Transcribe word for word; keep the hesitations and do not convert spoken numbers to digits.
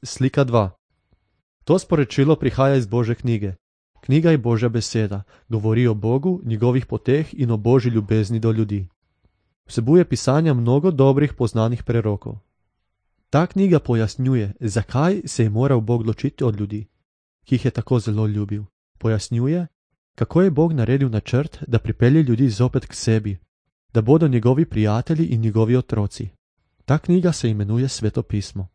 Slika dva. To sporočilo prihaja iz Božje knjige. Knjiga je Božja beseda, govori o Bogu, njegovih poteh in o Božji ljubezni do ljudi. Vsebuje pisanja mnogo dobrih poznanih prerokov. Ta knjiga pojasnjuje, zakaj se je moral Bog ločiti od ljudi, ki jih je tako zelo ljubil. Pojasnjuje, kako je Bog naredil načrt, da pripelje ljudi zopet k sebi, da bodo njegovi prijatelji in njegovi otroci. Ta knjiga se imenuje Sveto pismo.